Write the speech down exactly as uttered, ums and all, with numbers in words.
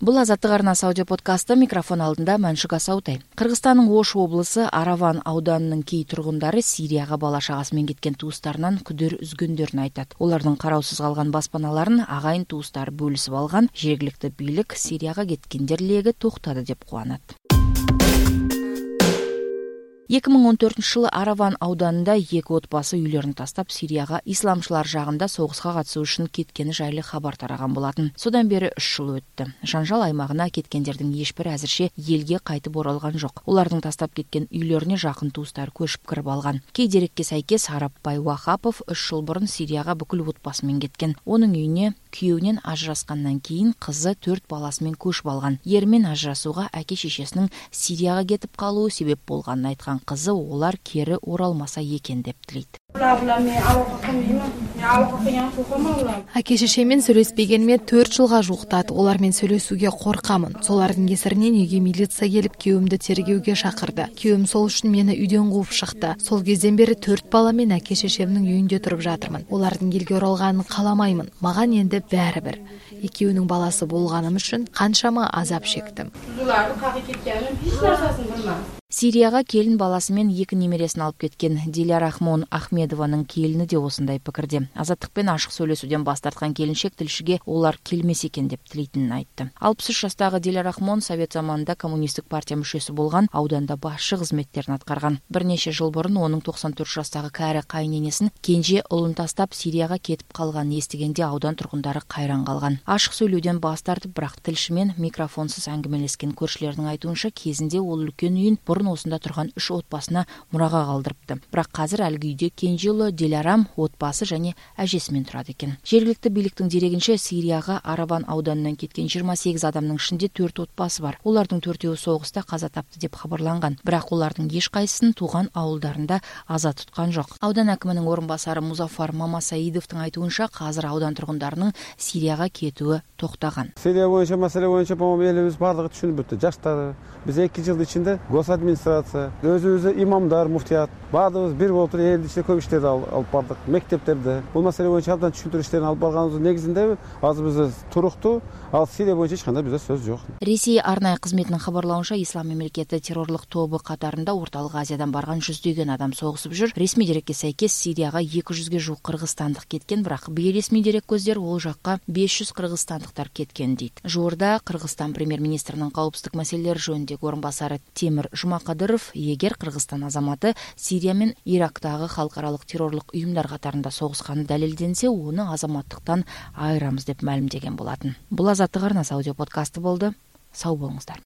Бул Азаттык арнасы аудио подкасты, микрофон алдында Маншук Асаутай. Кыргызстандын Ош облусу Араван ауданынын кей тургундары Сирияга бала чагасы менен кеткен туустарынан күдөр үзгөндөрүн айтат. Олардын кароосуз калган баспаналарын агайын туустары бөлүсүп алган. Жергиликтүү бийлик Сирияга кеткендер леги токтады деп кубанат. эки миң он төртүнчү жылы Араван ауданында эки отбасы үйлөрүн тастап Сирияга исламчылар жагында согуска катышуу үчүн кеткени жайлы кабар тараган болатын. Содан бери үч жыл өттү. Жанжал аймагына кеткендердин эч бири азырча элге кайтып оралган жок. Улардын тастап кеткен үйлөрүнө жакын туустары көчүп кирип алган. Кей дерекке сайкес Арапбай Вахапов үч жыл бурун Сирияга бүкүл отбасы менен кеткен. Онун үйүнө күйөөнүн ажыраскандан кийин кызы төрт баласы менен көчүп алган. Ери менен ажырашууга аке шешесинин Сирияга кетип калуу себеп болгонун айткан кызы олар кери оралмаса экен деп тилейт. Аке шешемен сүйлөшпегениме төрт жылга жуктат. Олар менен сүйлөшүүгө коркамын. Солардын кесиринен үйгө милиция келип, күйөөмдү тергөөгө шакырды. Күйөөм сол үчүн мени үйдөн кууп чыкты. Сол кезден бери төрт бала менен аке шешемдин үйүндө туруп жатырмын. Олардын элге оралганын кааламаймын. Мага энди баары бир. Экөөнүн баласы болгоным үчүн канчама азап чектим. Сирияга келин баласы менен эки немересин алып кеткен Дилярахмон Ахмедованын келини де осындай пикирде. Азаттык менен ашык сүйлөшүүдөн баш тарткан келинчек тилшиге олар келмес экен деп тилейтинин айтты. алпыс үч жаштагы Дилярахмон Совет заманында коммунисттик партия мүчөсү болгон, ауданда башчы кызметтерин аткарган. Бир нече жыл бурун онун токсон төрт жаштагы кайры кайненесин кенже улун тастап Сирияга кетип калганын эстегенде аудан тургундары кайран калган. Ашык сүйлөөдөн баш тартып, бирок тилши менен микрофонсуз аңгемелескен көршүлөрдүн айтуунча, кезинде ол үлкөн үйүн бурун осунда турган үч отбасына мурага калдырыпты. Бирок азыр алги үйдө кенже уулу Дилярам отбасы жана ажеси менен турат экен. Жергиликтүү бийликтин дерегинче, Сирияга Араван ауданынан кеткен жыйырма сегиз адамдын ичинде төрт отбасы бар. Олардын төртөө согуста каза тапты деп кабарланган. Бирок улардын эч кайсысын тууган ауылдарында аза туткан жок. Аудан акиминин орун басары Музафар Мамасаидовдун айтуунча, азыр аудан тургундарынын Сирияга кетүүі токтаган. Сирия боюнча маселе боюнча по-моему элибиз баардыгы түшүнүп бүттү. Жаштары биз эки жыл ичинде госадминистрация, өзүбүз имамдар, муфтият баардыгыбыз бир болуп туруп элдин ичинде көп иштерди алып бардык. Мектептерде бул маселе боюнча абдан түшүндүрүү иштерин алып барганыбыздын негизинде азыр бизде туруктуу, ал Сирия боюнча эч кандай бизде сөз жок. Ресей арнайы кызметинин кабарлауынча, Ислам мамлекети террорлук тобу катарында Ортолук Азиядан барган жүздөгөн адам согусуп жүр. Ресми дерекке сайкес Сирияга эки жүзгө жук кыргызстандык кеткен, бирок бейресми дерек көздөр ол жакка беш жүз кыргызстандыктар кеткен дейт. Жуурда Кыргызстан премьер-министринин коопсуздук маселелери жөнүндөгү орун басары Темир Жумакадыров, эгер Кыргызстан азаматы Сирия менен Ирактагы халкаралык террорлук уюмдар катарында согусканы далилденсе, оны азаматтыктан айырамыз деп маалымдеген болатын. Бул Азаттык арнасы аудио подкасты болду. Сау болуңуздар.